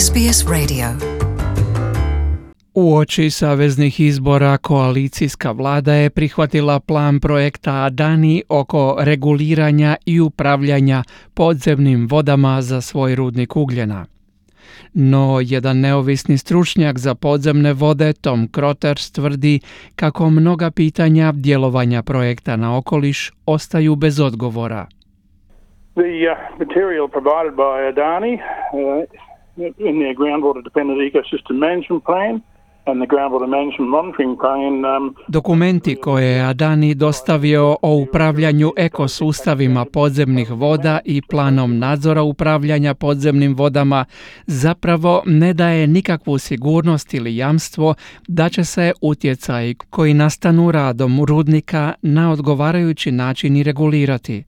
SBS Radio. Uoči saveznih izbora koalicijska vlada je prihvatila plan projekta Adani oko reguliranja i upravljanja podzemnim vodama za svoj rudnik ugljena. No, jedan neovisni stručnjak za podzemne vode, Tom Croters, tvrdi kako mnoga pitanja djelovanja projekta na okoliš ostaju bez odgovora. The material provided by Adani in their groundwater dependent ecosystem management plan and the groundwater management monitoring plan. Dokumenti koje je Adani dostavio o upravljanju ekosustavima podzemnih voda i planom nadzora upravljanja podzemnim vodama zapravo ne daje nikakvu sigurnost ili jamstvo da će se utjecaji koji nastanu radom rudnika na odgovarajući način i regulirati.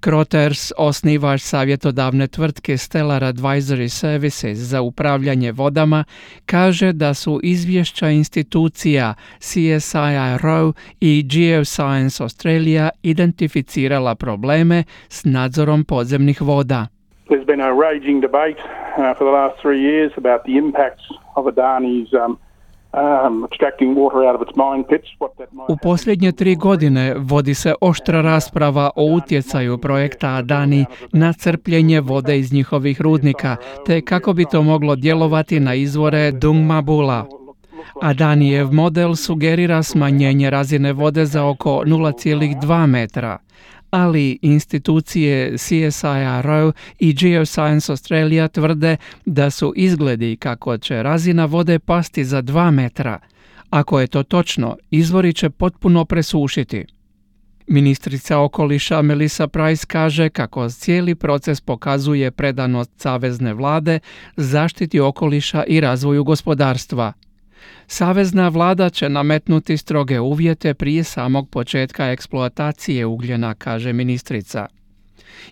Croters, osnivač savjetodavne tvrtke Stellar Advisory Services za upravljanje vodama, kaže da su izvješća institucija CSIRO i Geoscience Australia identificirala probleme s nadzorom podzemnih voda. There's been a raging debate for the last 3 years about the impacts of Adani's extracting water out of its mine pits. U posljednje 3 godine vodi se oštra rasprava o utjecaju projekta Adani na crpljenje vode iz njihovih rudnika, te kako bi to moglo djelovati na izvore Dungmabula. Adanijev model sugerira smanjenje razine vode za oko 0,2 metra, ali institucije CSIRO i Geoscience Australia tvrde da su izgledi kako će razina vode pasti za 2 metra. Ako je to točno, izvori će potpuno presušiti. Ministrica okoliša Melissa Price kaže kako cijeli proces pokazuje predanost savezne vlade zaštiti okoliša i razvoju gospodarstva. Savezna vlada će nametnuti stroge uvjete prije samog početka eksploatacije ugljena, kaže ministrica.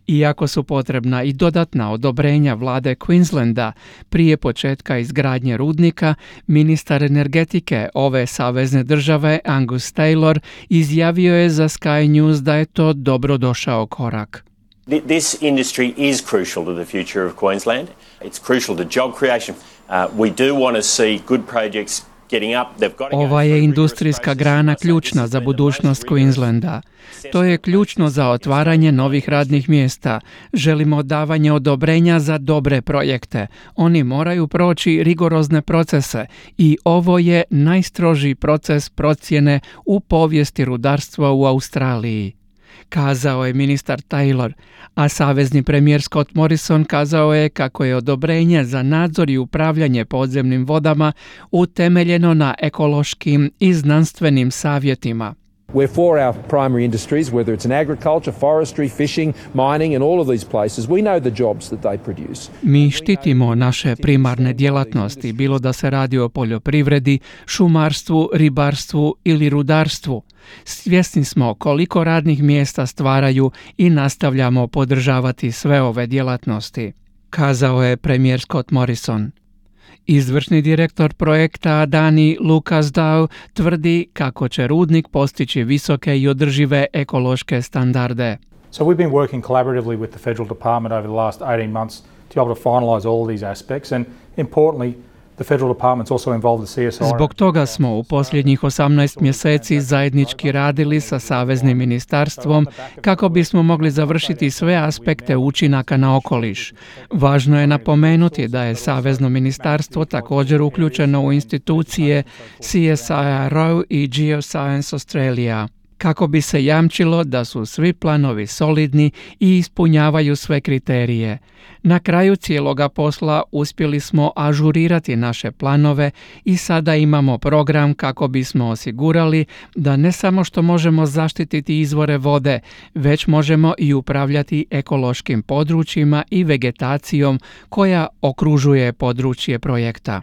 Iako su potrebna i dodatna odobrenja vlade Queenslanda prije početka izgradnje rudnika, ministar energetike ove savezne države Angus Taylor izjavio je za Sky News da je to dobrodošao korak. This industry is crucial to the future of Queensland. It's crucial to job creation. We do want to see good projects getting up. Ova je industrijska grana ključna za budućnost Queenslanda. To je ključno za otvaranje novih radnih mjesta. Želimo davanje odobrenja za dobre projekte. Oni moraju proći rigorozne procese i ovo je najstrožiji proces procjene u povijesti rudarstva u Australiji, kazao je ministar Taylor, a savezni premijer Scott Morrison kazao je kako je odobrenje za nadzor i upravljanje podzemnim vodama utemeljeno na ekološkim i znanstvenim savjetima. We're for our primary industries, whether it's in agriculture, forestry, fishing, mining and all of these places. We know the jobs that they produce. Mi štitimo naše primarne djelatnosti, bilo da se radi o poljoprivredi, šumarstvu, ribarstvu ili rudarstvu. Svjesni smo koliko radnih mjesta stvaraju i nastavljamo podržavati sve ove djelatnosti, kazao je premijer Scott Morrison. Izvršni direktor projekta Adani Lucas Dow tvrdi kako će rudnik postići visoke i održive ekološke standarde. So we've been working collaboratively with the federal department over the last 18 months to be able to finalize all of these aspects, and importantly the federal department's also involved the CSIRO. Zbog toga smo u posljednjih 18 mjeseci zajednički radili sa Saveznim ministarstvom kako bismo mogli završiti sve aspekte učinaka na okoliš. Važno je napomenuti da je Savezno ministarstvo također uključeno u institucije CSIRO i Geoscience Australia, kako bi se jamčilo da su svi planovi solidni i ispunjavaju sve kriterije. Na kraju cijeloga posla uspjeli smo ažurirati naše planove i sada imamo program kako bismo osigurali da ne samo što možemo zaštititi izvore vode, već možemo i upravljati ekološkim područjima i vegetacijom koja okružuje područje projekta.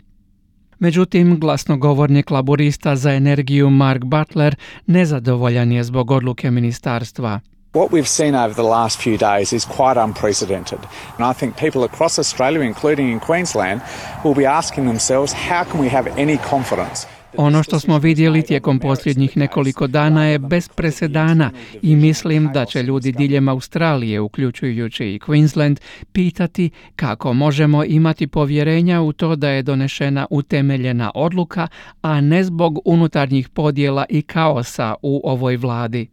Međutim, glasnogovornik laburista za energiju Mark Butler nezadovoljan je zbog odluke ministarstva. What we've seen over the last few days is quite unprecedented. And I think people across Australia, including in Queensland, will be asking themselves, how can we have any confidence? Ono što smo vidjeli tijekom posljednjih nekoliko dana je bez presedana i mislim da će ljudi diljem Australije, uključujući i Queensland, pitati kako možemo imati povjerenja u to da je donešena utemeljena odluka, a ne zbog unutarnjih podjela i kaosa u ovoj vladi.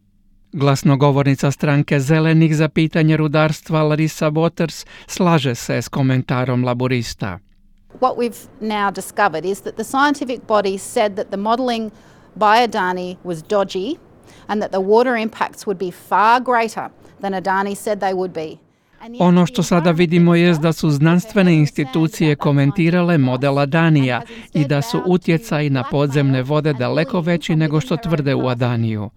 Glasnogovornica stranke Zelenih za pitanje rudarstva Larissa Waters slaže se s komentarom laborista. What we've now discovered is that the scientific body said that the modelling by Adani was dodgy and that the water impacts would be far greater than Adani said they would be. Ono što sada vidimo je da su znanstvene institucije komentirale model Adanija i da su utjecaji na podzemne vode daleko veći nego što tvrde u Adaniju.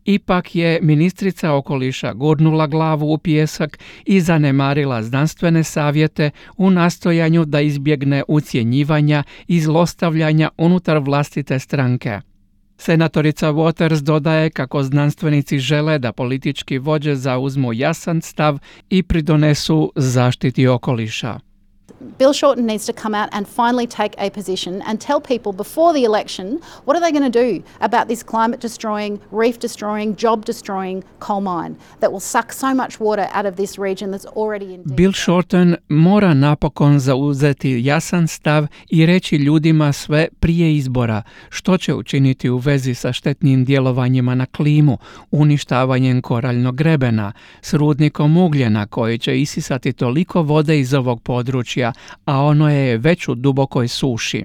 Ipak je ministrica okoliša gurnula glavu u pijesak i zanemarila znanstvene savjete u nastojanju da izbjegne ucjenjivanja i zlostavljanja unutar vlastite stranke. Senatorica Waters dodaje kako znanstvenici žele da politički vođe zauzmu jasan stav i pridonesu zaštiti okoliša. Bill Shorten needs to come out and finally take a position and tell people before the election what are they going to do about this climate destroying, reef destroying, job destroying coal mine that will suck so much water out of this region that's already in deep. Bill Shorten mora napokon zauzeti jasan stav i reći ljudima sve prije izbora što će učiniti u vezi sa štetnim djelovanjima na klimu, uništavanjem koraljnog grebena, s rudnikom ugljena koji će isisati toliko vode iz ovog područja, a ono je već u dubokoj suši,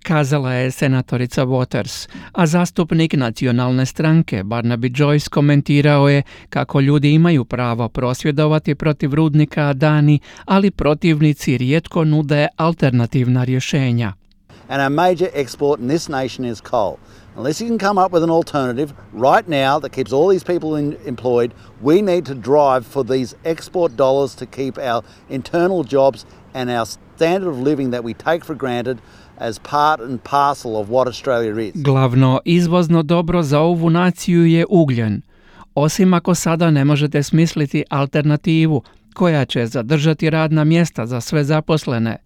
kazala je senatorica Waters, a zastupnik nacionalne stranke Barnaby Joyce komentirao je kako ljudi imaju pravo prosvjedovati protiv rudnika Adani, ali protivnici rijetko nude alternativna rješenja. And our major export in this nation is coal. Unless you can come up with an alternative right now that keeps all these people employed, we need to drive for these export dollars to keep our internal jobs and our standard of living that we take for granted as part and parcel of what Australia is. Glavno izvozno dobro za ovu naciju je ugljen. Osim ako sada ne možete smisliti alternativu koja će zadržati radna mjesta za sve zaposlene.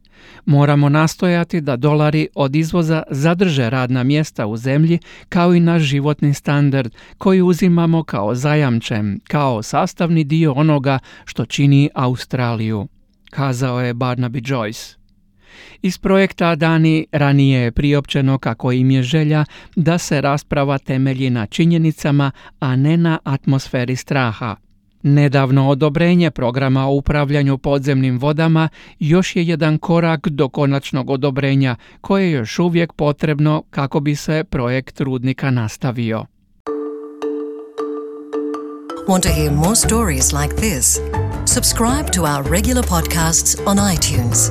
Moramo nastojati da dolari od izvoza zadrže radna mjesta u zemlji kao i naš životni standard koji uzimamo kao zajamčen, kao sastavni dio onoga što čini Australiju, kazao je Barnaby Joyce. Iz projekta Adani ranije je priopćeno kako im je želja da se rasprava temelji na činjenicama, a ne na atmosferi straha. Nedavno odobrenje programa o upravljanju podzemnim vodama još je jedan korak do konačnog odobrenja koje je još uvijek potrebno kako bi se projekt rudnika nastavio. Want to hear more stories like this? Subscribe to our regular podcasts on iTunes.